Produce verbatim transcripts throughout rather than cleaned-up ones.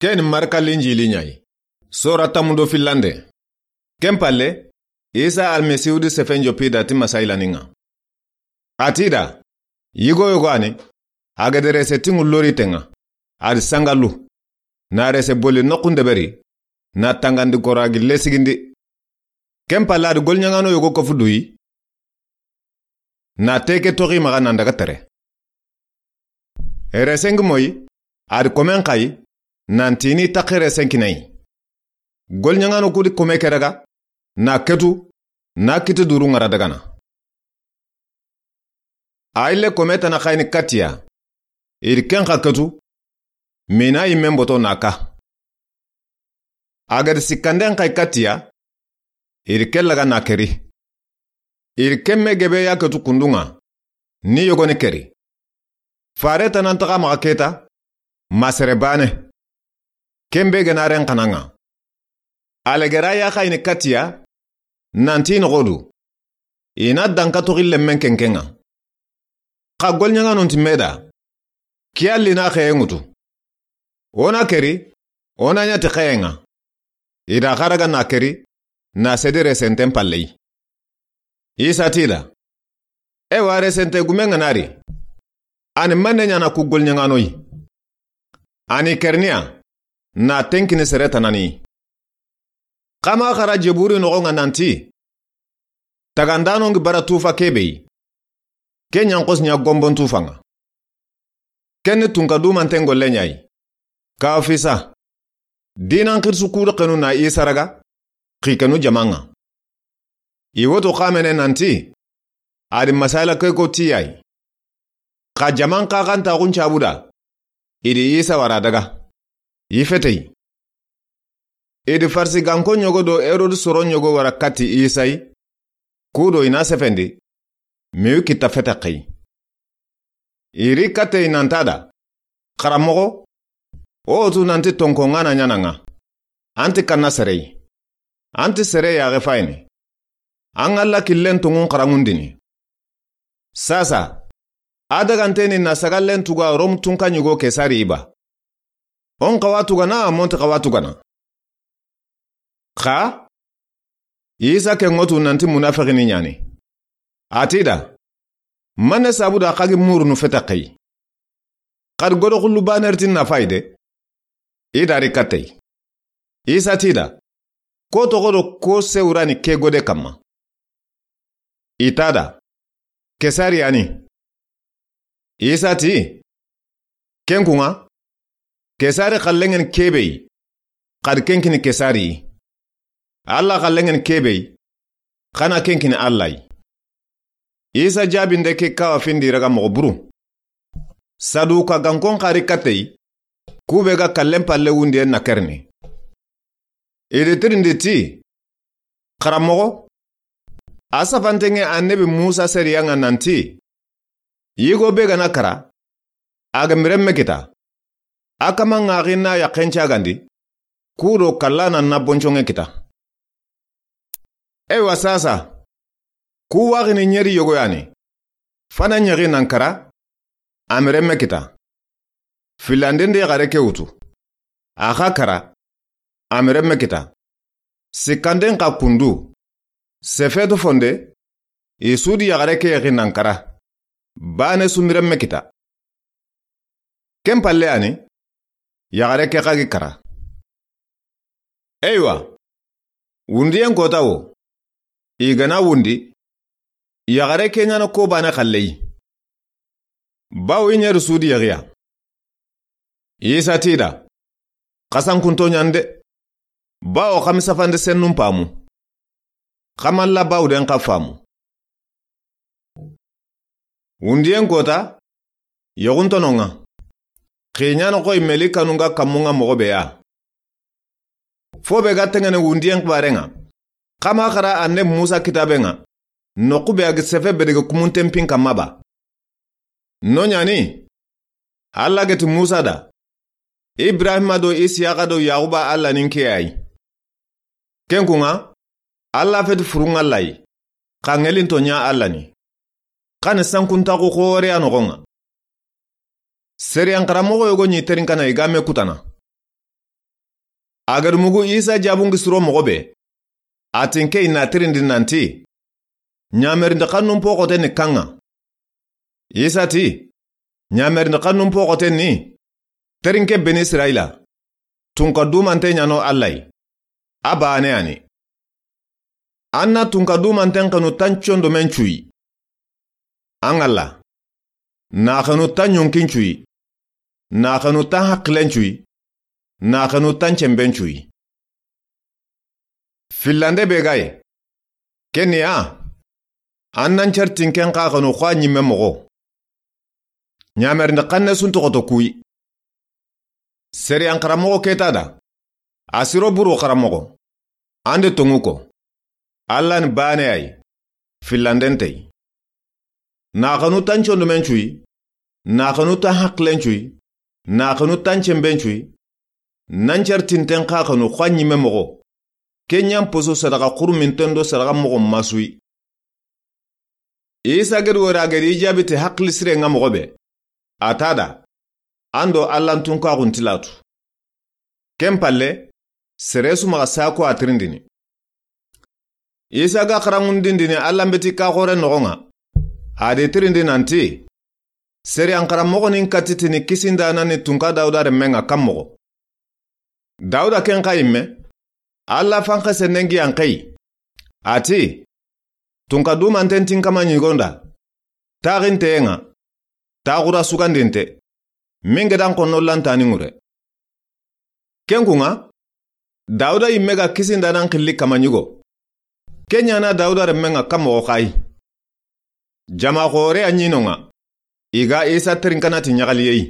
Ken ni Marka Linjili ɲa yi. Sora tanmu do fillande. Ken palle, Isa Almasihu di sefen jopi da ti masayilani ŋa. A ti da, yigo yogo a ni, a ga da rese tiŋu lori ten ŋa, a di sangalu, na rese boli noxun deberi, na tangandi gora gi lesigindi. Ken palle a di goliɲaŋano yogo kofu duyi, na teke toxi maxa nan daga tere. Resengi moyi, a di komen xayi, nan tini taxi resenkinayi. Goliɲaŋano ku di kome ke daga, na ketu, na kiti duru ŋara dagana. A yille kome tana xayini katiya, i di ken xa ketu, mina yimme mboto na ka. A ga da sikkanden xayi katiya, i di ke laga na keri. I di ken me gebe ya ketu kundu ŋa, ni yogoni keri. Fare tanan taxa maxa keta, ma sere bane. Ken be ga na ren xana ŋa. Alegera ya xayini katiya, nan ti noxo du. I na danka toxi lemmen kenken ŋa. Xa goliɲaŋanun ti me da, kiya li na xeye ŋutu. O na keri, o na ɲa ti xeye ŋa. I da xa daga na keri, na sedi resenten palleyi. Isa ti da, ewa resente gume ŋa na ri. A ni manne ɲana ku goliɲaŋanoyi. A ni kerniya, na tenkini sere tanani. Xa ma xara jeburi noxo ŋa nan ti, tagandano ngi bara tufa kebe yi. Ke ɲanxosi ɲa gombon tufa ŋa. Ken ni tunka dumanten golle ɲa yi. Ka fisa. Dinan xirisu ku di xenu na Isa raga, xi kenu jama ŋa. I woto xamene nan ti, a di masala ke ko tiyayi. Xa jaman xaxantaxun cabu da, i di Isa wara daga, i feteyi. I di Farisiganko ɲogo do Herode soro ɲogo wara kati Isa yi, ku do i na sefendi, miyu kita fete xeyi. I ri kateyi nan ta da, Xaranmoxo, o tu nan ti tonko ŋana ɲana ŋa. An ti kanna sereyi. An ti sere yaxe fayini. An ŋa Alla killen tonŋun xaranŋundini. Sasa, a daganteni na sagallen tuga Rom tunka ɲigo Kesari yi ba. O n xawa tugana, a mo nti xawa tugana. Xa, Isa ke ŋotu nan ti munafixini ɲani. A ti da, manne sabu da xa gi murunu fete xeyi. Xa di godo xullu baner ti nafayi de. I da ri kateyi. Isa ti da, ko toxo do ko sewurani ke gode kamma. I ta da, Kesari yani. Isa ti, ken kuŋa, Kesari xalleŋen kebe yi, xa di ken kini Kesari yi. Alla xalleŋen kebe yi, xa na ken kini Alla yi. Isa jabinde ke kawa findi raga moxo buru. Saduka gankon xari kateyi, kube ga kallen palle wundiyen na kerni. I di tirindi ti, Xaranmoxo, a safanteŋe annabi Musa sariya ŋa nan ti, yigo be ga na kara, a ga mirenme kita, a kama ŋaxi na yaxen cagandi, ku do kalla na na boncoŋe kita. Eywa sasa, ku waxini ɲeri yogo yani, fana ɲexi nan kara, a mirenme kita. Filanden di yaxare ke wutu, a xa kara, a mirenme kita. Sikkanden xa kundu, sefetu fonde, i su di yaxare ke yaxi nan kara, bane su mirenme kita. Ken palle yani, yaxare ke xa gi kara. Eywa, wundiyen kota wo, i ga na wundi, yaxare ke ɲana ko bane xalleyi. Bawo i ɲeri su di yaxiya. Isa ti da, xasankunto ɲande, bawo xa mi safande sennun pamu. Xa malla bawo den xa famu. Wundiyen kota, yaxuntono ŋa. Xiɲano xoy meli kanu ŋa kammu ŋa moxo be ya. Fo be ga teŋene wundiyen xibare ŋa, xa ma xara annabi Musa kitabe ŋa, noqu be a gi sefe be dege kumunten pin kamma ba. No ɲani, Alla geti Musa da, Ibrahima do Isiyaxa do Yaxuba Alla nin ke yayi. Ken kuŋa, Alla feti furun Alla yi, xa ŋelinto ɲa Alla ni. Xa ni sankuntaxu xoore ya noxo ŋa. Seriyan xaranmoxo yogo ɲi terinkana i ga me kutana. A ga da mugu Isa jaabun ŋa siro moxo be, a ti n ke i na tirindi nanti, ɲamerindi xannun po xote ni kaŋŋa. Isa ti, ɲamerindi xannun po xote ni, terinke Beni Israyila, tunka dumante ɲa no Alla yi. A baane ya ni. An na tunka dumanten xanu tan condomen cuyi. An Alla, na xanu tan ɲonkin cuyi, na xanu tan haqilen cuyi, na xanu tan cemben cuyi. Fillande be ga yi, ken ni ya, an nan certinken xa xanu xa ɲimme moxo. Ɲamerindi xanne sun toxoto kuyi. Seriyan xaramoxo ke ta da, a siro buru xaramoxo, an de tonŋu ko, Alla ni baane ya yi, fillanden te yi. Na xanu tan condomen cuyi, na xanu tan haqilen cuyi, na xanu tan cemben cuyi, nan certinten xa xanu xa ɲimme moxo, ke ɲa n poso sadaxa xuruminten do sadaxa moxo masuyi. Isa ga da wori a ga da i jaabi ti haqili siren ŋa moxo be, a ta da, an do Alla n tunkaxun ti latu. Ken palle, sere su maxa sako a tirindini. Isa ga xaranŋundindini Alla n beti ka xoore noxon ŋa, a da i tirindi nanti, seriyan xaramoxo ni n katitini kisindaana ni tunka Dawuda renmen ŋa kan moxo. Dawuda ken xa yimme, Alla fanxe sennen gi yan xeyi. A ti, tunka dumanten ti n kama ɲigonda, taxinteyen ŋa, taxura sugandinte, min ga da n xonno lantani ŋure. Ken kun ŋa, Dawuda yimme ga kisindaanan xilli kama ɲigo. Ke ɲa na Dawuda renmen ŋa kan moxo xa yi. Jama xoore a ɲi no ŋa, i ga Isa terinkana ti ɲaxaliye yi.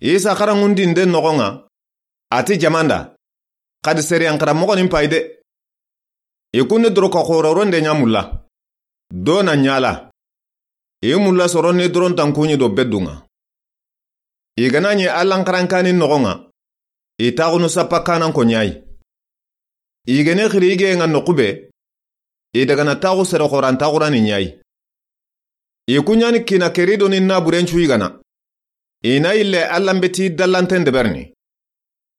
Isa xaranŋundinden noxon ŋa, a ti jaman da, xadi seriyan xaramoxo ni n payi de. I kun ni doroka xoororonde ɲa mulla, do na ɲala. I mulla soro ni dorontan kuɲi do beddun ŋa. I ga na ɲi Alla n xarankani noxon ŋa, i taxunu sappa kanan ko ɲa yi. I ga ni xiri i geyen ŋa noqu be, i daga na taxu sere xooran taxurani ɲa yi. I ku ɲa ni kiina kerido ni naburen cu yigana. I na yille Alla n beti dallanten deberini.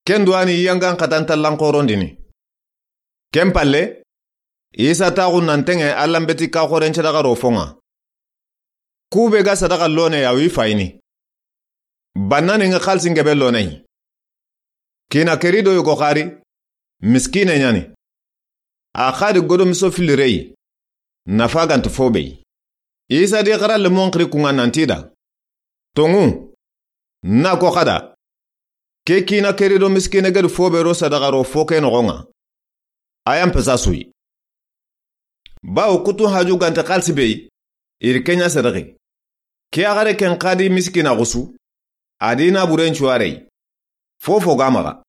Ken do a ni yangan xatan tallan xoorondini. Ken palle, Isa taxu nan teŋe Alla n beti ka xooren sadaxa ro fon ŋa. Ku be ga sadaxa lone ya wi fayini. Banna ni ŋa xalisi n gebe lone yi. Kiina kerido yogo xari, miskine ɲa ni. A xadi godomiso fili reyi, nafa ga nta fo be yi. Isa di xara lemon xiri kun ŋa nanti da, tonŋu, na ko xada, ke kiina kerido miskine ga da fo be ro sadaxa ro fo ke noxon ŋa, a ya n pesa su yi. Bawo kutu haju ga nta xalisi be yi, i ri ke ɲa sadaxi. Ke yaxare ken xadi miskina xusu, a di naburen cuware yi. Fofo ga maxa.